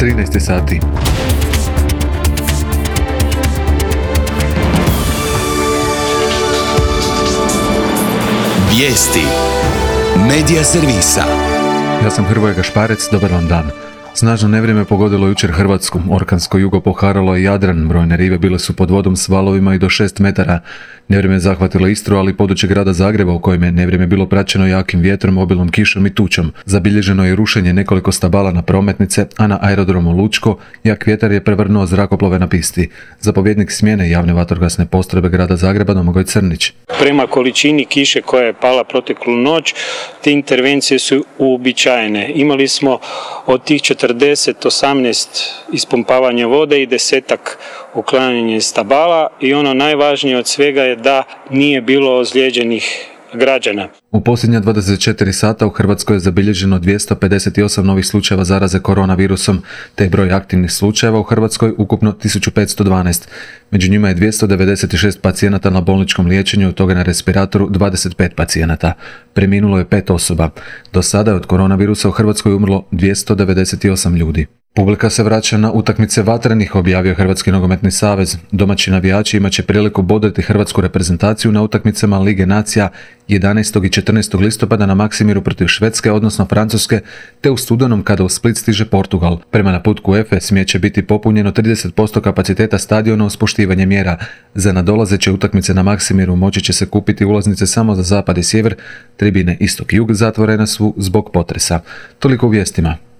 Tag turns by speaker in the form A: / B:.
A: 13 sati.
B: Vijesti Medija servisa.
A: Ja sam Hrvoje Gašparec, dobar vam dan. Snažno nevrijeme pogodilo jučer Hrvatsku, orkansko jugo poharalo je Jadran, brojne rive bile su pod vodom s valovima i do 6 metara. Nevrijeme je zahvatilo Istru, ali i područje grada Zagreba u kojem je nevrijeme bilo praćeno jakim vjetrom, obilnom kišom i tučom. Zabilježeno je rušenje nekoliko stabala na prometnice, a na aerodromu Lučko jak vjetar je prevrnuo zrakoplove na pisti. Zapovjednik smjene javne vatrogasne postrojbe grada Zagreba Domagoj Crnić.
C: Prema količini kiše koja je pala proteklu noć, te intervencije su uobičajene. Imali smo od tih 18 ispumpavanja vode i 10 uklanjanje stabala i ono najvažnije od svega je da nije bilo ozlijeđenih građana.
A: U posljednja 24 sata u Hrvatskoj je zabilježeno 258 novih slučajeva zaraze koronavirusom, te je broj aktivnih slučajeva u Hrvatskoj ukupno 1512. Među njima je 296 pacijenata na bolničkom liječenju, od toga na respiratoru 25 pacijenata. Preminulo je 5 osoba. Do sada je od koronavirusa u Hrvatskoj umrlo 298 ljudi. Publika se vraća na utakmice vatrenih, objavio Hrvatski nogometni savez. Domaći navijači imat će priliku bodriti hrvatsku reprezentaciju na utakmicama Lige nacija 11. i 14. listopada na Maksimiru protiv Švedske, odnosno Francuske, te u studenom kada u Split stiže Portugal. Prema naputku UEFA smije će biti popunjeno 30% kapaciteta stadiona uz poštivanje mjera. Za nadolazeće utakmice na Maksimiru moći će se kupiti ulaznice samo za zapad i sjever, tribine istok i jug zatvorene su zbog potresa. Toliko u vijestima.